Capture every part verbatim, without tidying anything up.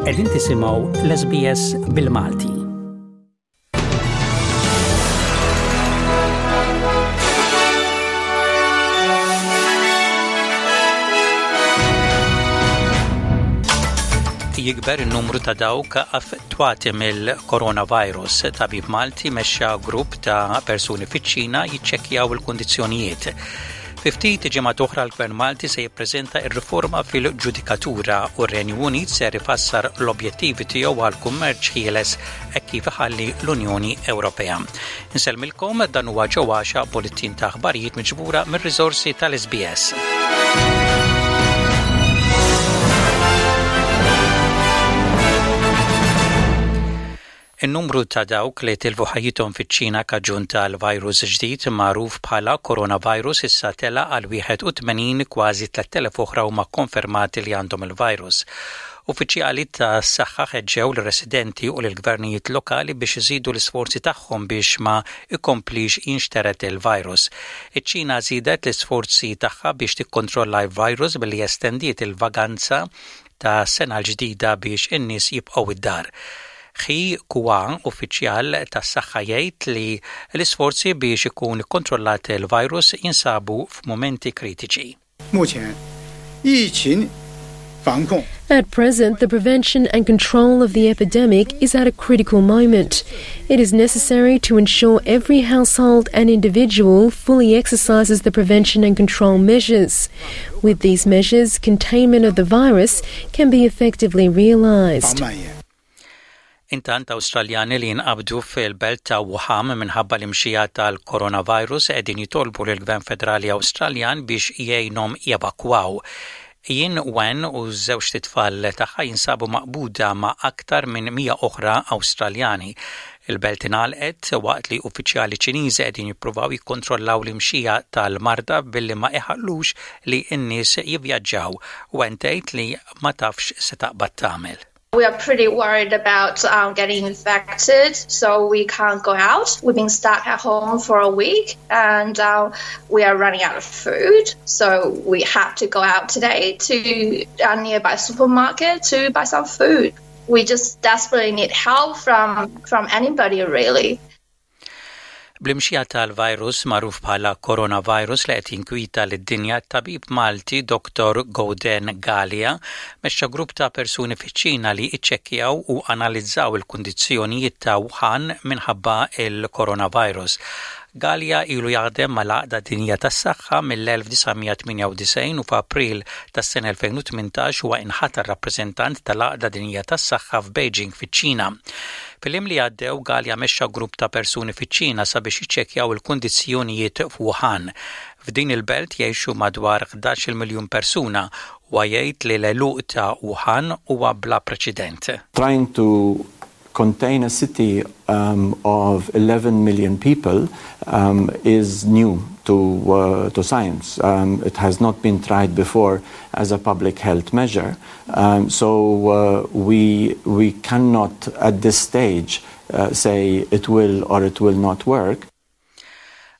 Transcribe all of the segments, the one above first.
Qegħdin tisimgħu l-S B S bil-Malti. Jikber il-numru ta' dawk affettwati mill-coronavirus. Tabib Malti mexxa grupp ta' persuni fiċ-Ċina jiċċekkjaw il-kundizzjonijiet. Fi ftit ġimgħat oħra, l-Gvern Malti se jippreżenta r-riforma fil-ġudikatura u r-Renju Unit ser ifassar l-objettivi tiegħu għal kummerċ ħieles hekk kif iħalli l-Unjoni Ewropea. Insellmilkom, dan huwa ġewwaxa bulletin ta' aħbarijiet miġbura mir-riżorsi tal-S B S. In-numru ta' dawk li tilfu ħajjithom fiċ-Ċina kaġun tal-virus ġdid magħruf bħala coronavirus issa tela għal wieħed u tmenin. Kważi tlett elef oħra huma konfermati li għandhom il-virus. Uffiċjali ta' saħħa ħeġġew l-residenti u l-gvernijiet lokali biex iżidu l-isforzi tagħhom biex ma ikomplis jinxteret il-virus. Iċ-Ċina żiedet l-isforzi tagħha biex tikkontrolla l-virus billi estendiet il-vaganza ta' sena l-ġdida biex in-nies jibqgħu id-dar. He Kwa, uffiċjal tas-saħħa, jgħid li l-isforzi biex ikun ikkontrollat il-virus jinsabu f'mumenti kritiċi. 目前，疫情防控 At present, the prevention and control of the epidemic is at a critical moment. It is necessary to ensure every household and individual fully exercises the prevention and control measures. With these measures, containment of the virus can be effectively 防 realised. 蔓延。 Intant, Awstraljani li jinqabdu fil-belt ta' Wuhan minħabba l-imxija tal-coronavirus qegħdin jitolbu lill-Gvern Federali Awstraljan biex jgħinhom jevakwaw. Jin Wen u żewġt itfal tagħha jinsabu maqbuda ma' aktar minn mija oħra Awstraljani. Il-belt ingħalqet waqt li uffiċjali Ċiniżi qegħdin jippruvaw jikkontrollaw l-imxija tal-marda billi ma iħallux li n-nies jivvjaġġaw. Wen tgħid li ma tafx se taqbad tagħmel. We are pretty worried about um, getting infected, so we can't go out. We've been stuck at home for a week and uh, we are running out of food. So we had to go out today to a nearby supermarket to buy some food. We just desperately need help from, from anybody, really. Bl-imxija tal-virus magħruf bħala coronavirus li qed jinkwita lid-dinja, tabib Malti Doktor Gauden Galea mexxa grupp ta' persuni fiċ-Ċina li iċċekkjaw u analizzaw il-kundizzjonijiet ta' Wuhan minħabba il-coronavirus. Galea ilu jaħdem mal-Għaqda Dinjija tas-Saħħa mill-elf disa' mija tmienja u disgħin u f'April tas-sena elfejn u tmintax huwa inħatar rappreżentant tal-Għaqda Dinjija tas-Saħħa f'Beijing, fiċ-Ċina. Fil-jiem li għaddew, Galea mexxa grupp ta' persuni fiċ-Ċina sabiex jiċċekkjaw il-kundizzjonijiet f'Wuhan. F'din il-belt jgħixu madwar ħdax-il miljun persuna u jgħid li l-għeluq ta' Wuhan huwa bla preċedent. Trying to contain a city um, of eleven million people um, is new to, uh, to science. Um, it has not been tried before as a public health measure. Um, so uh, we, we cannot at this stage uh, say it will or it will not work.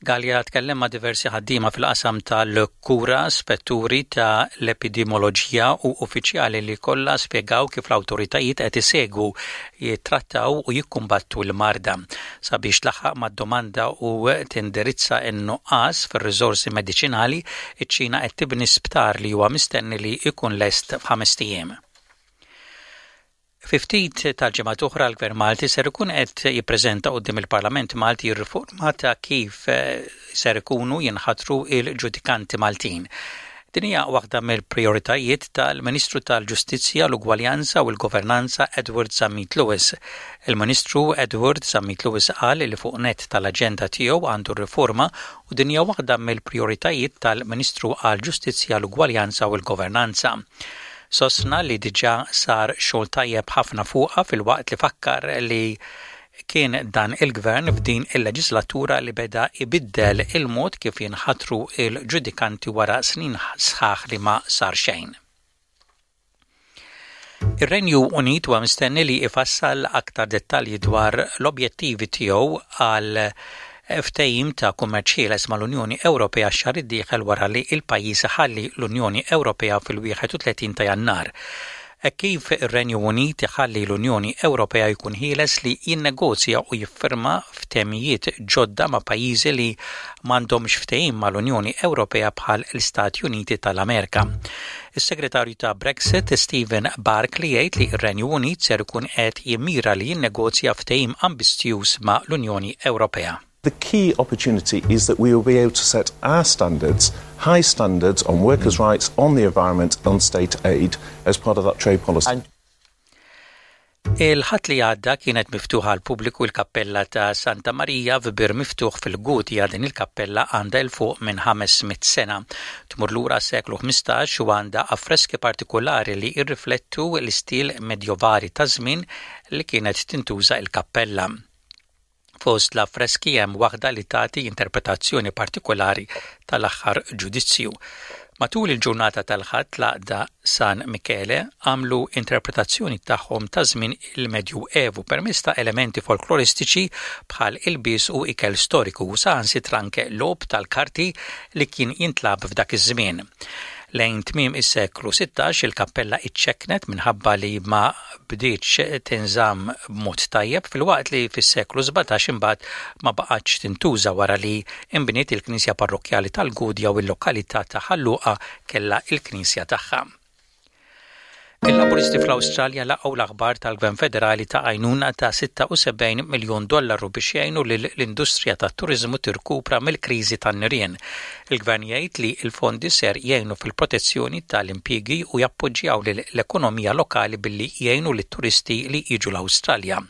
Galea tkellem ma' diversi ħaddiema fil-qasam tal-kura, spetturi ta' l-epidemioloġija u uffiċjali li kollha spjegaw kif l-awtoritajiet qed isegwu, jittrattaw u jikkumbattu l-marda. Sabiex tlaħħaq mad-domanda u tindirizza n-nuqqas fir-riżorsi mediċinali, iċ-Ċina qed tibni sptar li huwa mistenni li jkun lest f'ħamest ijiem. Fi ftit tal-ġimgħat oħra, l-Gvern Malti ser ikun qed jippreżenta quddiem il-Parlament Malti r-riforma ta' kif eh, ser ikunu jinħatru il-ġudikanti Maltin. Din hija waħda mill-prioritajiet tal-Ministru tal-Ġustizzja, l-Ugwaljanza u l-Governanza Edward Zammit Lewis. Il-Ministru Edward Zammit Lewis qal li fuq nett tal-aġenda tiegħu għandu riforma u din hija waħda mill-prioritajiet tal-Ministru għall-Ġustizzja, l-Ugwaljanza u l-Governanza. Sostna li diġà sar xogħol tajjeb ħafna fuqha, filwaqt li fakkar li kien dan il-gvern f'din il-leġislatura li beda ibiddel il-mod kif jinħatru il-ġudikanti wara snin sħaħ li ma sar xejn. Ir-Renju Unit huwa mistenni li ifassal aktar dettalji dwar l-objettivi tiegħu għal ftehim ta' kummerċ ħieles mal-Unjoni Ewropea xahar id-dieħel wara li il-pajjiż ħalli l-Unjoni Ewropea fil-wieħed u tletin ta' Jannar. Hekk kif ir-Renju Unit iħalli l-Unjoni Ewropea jkun ħieles li jinnegozja u jiffirma ftehimiet ġodda ma' pajjiżi li m'għandhomx ftehim mal-Unjoni Ewropea bħal l-Istati Uniti tal-Amerika. Is-Segretarju ta' Brexit Stephen Barclay jgħid li r-Renju Unit ser ikun qed jimmira li jinnegozja ftehim ambizzjuż ma' l-Unjoni Ewropea. The key opportunity is that we will be able to set our standards, high standards on workers' rights, on the environment, on state aid as part of that trade policy. And Il-Ħadd li għadda kienet miftuħa għall-pubbliku l-kappella ta' Santa Marija f'Bir Miftuħ fil-Gudja. Din il-kappella għandha 'l fuq minn ħames mitt sena. Tmur lura seklu ħmistax u għandha affreski partikolari li jirriflettu l-istil medjovali ta' żmien li kienet tintuża il-kappella. Fost l-affreski hemm waħda li tagħti interpretazzjoni partikolari tal-aħħar ġudizzju. Matul il-ġurnata tal-Ħadd l-Għaqda San Michele għamlu interpretazzjoni tagħhom ta' żmien il-Medju Evu permezz ta' elementi folkloristiċi bħal ilbies u ikel storiku u saħansitra anke logħob tal-karti li kien jintlagħab f'dak iż-żmien. Lejn tmiem is-seklu sittax il-kappella iċċeknet minħabba li ma bdietx tinżamm b'mod tajjeb, filwaqt li fis-seklu sbatax imbagħad ma baqgħetx tintuża wara li imbniet il-Knisja Parrokkjali tal-Gudja u l-lokalità ta' Ħal Luqa kellha il-Knisja tagħha. Il-Laburisti fl-Awstralja laqgħu l-aħbar tal-Gvern Federali ta' għajnuna ta' sitta u sebgħin miljun dollaru biex jgħinu l-industrija tat-turiżmu tirkupra mill-kriżi tan-nirien. Il-Gvern jgħid li l-fondi ser jgħinu fil-protezzjoni tal-impjiegi u jappoġġjaw l-ekonomija lokali billi jgħinu lit-turisti li jiġu l-Awstralja.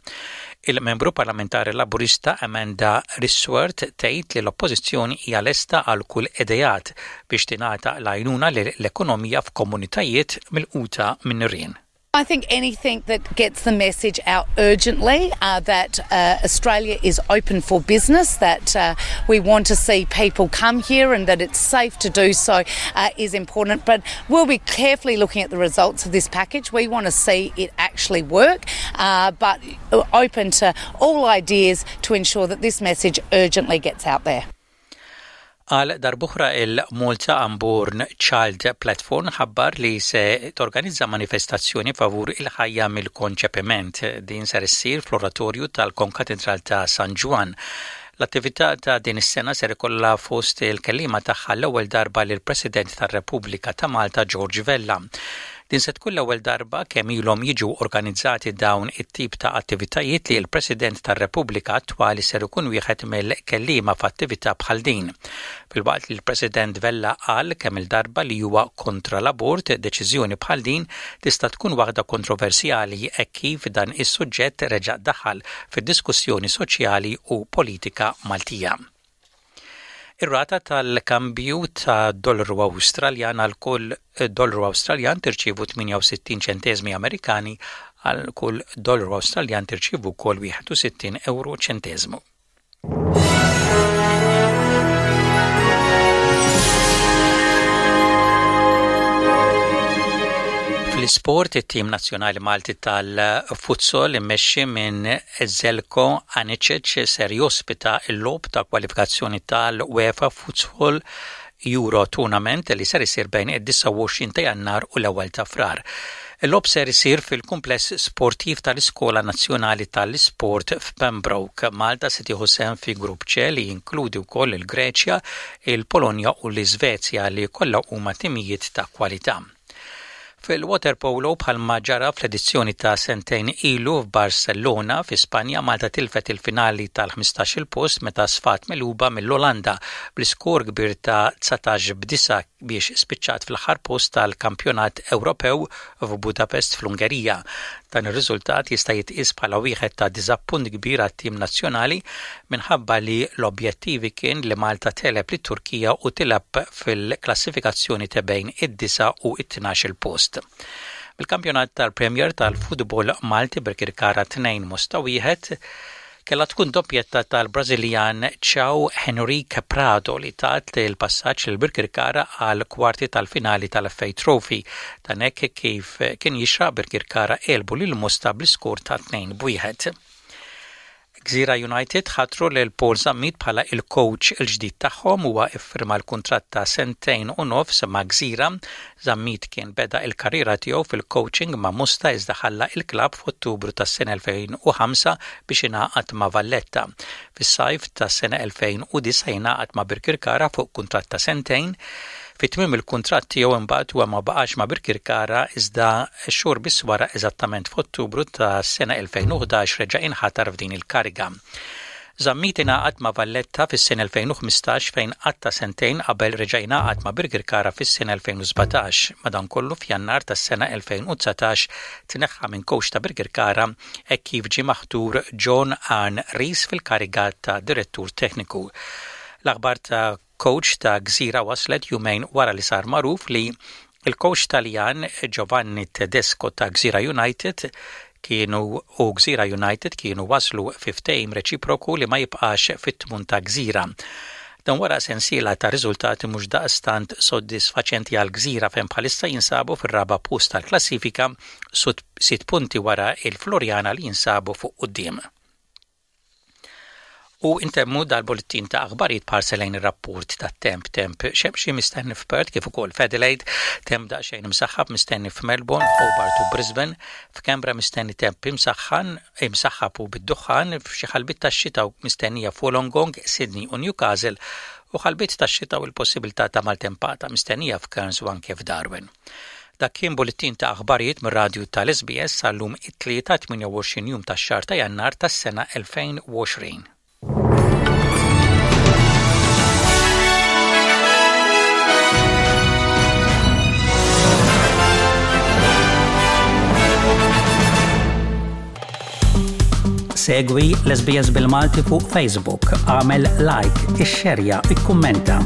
Il-membru parlamentari Laburista Amanda Rishworth tgħid li l-oppożizzjoni hija lesta għal kull ideat biex tingħata l-għajnuna l-ekonomija f'komunitajiet milquta minn nirien. I think anything that gets the message out urgently uh, that uh, Australia is open for business, that uh, we want to see people come here and that it's safe to do so uh, is important. But we'll be carefully looking at the results of this package. We want to see it actually work, uh, but open to all ideas to ensure that this message urgently gets out there. Għal darb'oħra, il-Malta Unborn Child Platform ħabbar li se torganizza manifestazzjoni favur il-ħajja mill-konċepiment. Din ser issir fl-oratorju tal-Konkatedral ta' San Ġwann. L-attività ta' din is-sena ser ikollha fost il-kellima tagħha l-ewwel darba lill-President tar-Repubblika ta' Malta, George Vella. Din se tkun l-ewwel darba kemm ilhom jiġu organizzati dawn it-tip ta' attivitajiet li l-President tar-Repubblika attwali ser ikun wieħed mill-kellima f'attività bħal din. Filwaqt li l-President Vella qal kemm il-darba li huwa kontra l-abort, deċiżjoni bħal din tista' tkun waħda kontroversjali hekk kif dan is-suġġett reġa' daħal fid-diskussjoni soċjali u politika Maltija. Ir-rata tal-kambju ta' dollaru Awstraljan: għal kull dollaru Awstraljan tirċievu tmienja u sittin ċentesmi Amerikani, għal kull dollaru Awstraljan tirċievu wkoll wieħed u sittin euro ċentesmu. Fl-isport, it-tim nazzjonali Malti tal-futsal immexxi minn Zeljko Anicic ser jospita l-logħob ta' kwalifikazzjoni tal-UEFA Futsal Euro Tournament li ser isir bejn id-disgħa u għoxrin ta' Jannar u l-ewwel ta' Frar. Il-logħob ser isir fil-kumpless sportiv tal-Iskola Nazzjonali tal-Isport f'Pembroke. Malta se tieħu sehem fi grupp C li jinkludi wkoll il-Greċja, il-Polonja u l-Iżvezja, li kollha huma timijiet ta' kwalità. Fil-waterpolo, bħalma ġara fl-edizzjoni ta' sentejn ilu f'Barcellona fi Spanja, Malta tilfet il-finali tal-ħmistax-il post meta sfat megħluba mill-Olanda bl-iskor kbir ta' dsatax b'disgħa biex spiċċat fl-aħħar post tal-Kampjonat Ewropew f'Budapest fl-Ungerija. Dan ir-riżultat jista' jitqies bħala wieħed ta' diżappunt kbir għat-tim nazzjonali minħabba li l-objettivi kien li Malta tegħleb lit-Turkija u tilgħab fil-klassifikazzjoni ta' bejn id-disa' u it-tnax post. Bil-kampjonat tal-Premier tal-Futbol Malti, Birkirkara tnejn, Mosta wieħed. Kella tkun doppjetta tal-Brażiljan João Henrique Prado li tat il-passaġġ lil Birkirkara għal kwarti tal-finali tal-F A Trophy. Dan hekk kif kien jixraq, Birkirkara għelbu lil Mosta bl-iskor ta' tnejn b'wieħed. Gżira United ħatru lil Paul Zammit bħala il-coach il-ġdid tagħhom. Huwa iffirma l-kuntratt ta' sentejn u nofs ma' Gżira. Zammit kien beda il-karriera tiegħu fil-coaching ma' Mosta, iżda ħalla il-klabb f'Ottubru tas-sena elfejn u ħamsa biex ingħaqad ma' Valletta. Fis-sajf tas-sena elfejn u disgħa ingħaqad ma' Birkirkara fuq kuntratt ta' sentejn. Fi tmiem il-kuntratt tiegħu imbagħad huwa ma baqax ma' Birkirkara, iżda xhur biss wara, eżattament f'Ottubru ta' sena elfejn u ħdax, reġa' inħatar f'din il-kariga. Zammit ingħaqad ma' Valletta fis-sena elfejn u ħmistax, fejn qatta sentejn qabel reġa' ingħaqad ma' Birkirkara fis-sena elfejn u sbatax. Madankollu, f'Jannar tas-sena elfejn u dsatax tneħħa minn coach ta' Birkirkara hekk kif ġie maħtur John Arne Riise fil-kariga ta' direttur tekniku. L-aħbar ta' coach ta' Gżira waslet jumejn wara li sar magħruf li il-coach Taljan Giovanni Tedesco ta' Gżira United kienu u Gżira United kienu waslu fi ftehim reċiproku li ma jibqax fit-tmun ta' Gżira. Dan wara sensiela ta' riżultati mhux daqstant soddisfaċenti għal Gżira, fejn bħalissa jinsabu fir-raba' post tal-klassifika, sitt punti wara il-Floriana li jinsabu fuq quddiem. U intemmu dal-bullettin ta' aħbarijiet b'ħarsa lejn ir-rapport ta' temp. Temp xemxi mistenni f'Perth kif ukoll f'Adelaide, temp daqsxejn imsaħħab mistenni f'Melbourne, Hobart u Brisbane, f'Canberra mistenni temp imsaħħan, imsaħħab u bid-duħħan, f'xi ħalbit tax-xita mistennija f'Wollongong, Sydney u Newcastle, u ħalbit tax-xita u l-possibilità ta' maltempata mistennija f'Cairns u anke f'Darwin. Dak kien bullettin ta' aħbarijiet mir-radju tal-S B S sal-lum, it-Tlieta, tmienja u għoxrin jum tax-xahar ta' Jannar tas-sena elfejn u għoxrin. Segwi l-S B S bil-Malti fuq Facebook, għamel like, ixxerja, ikkummenta.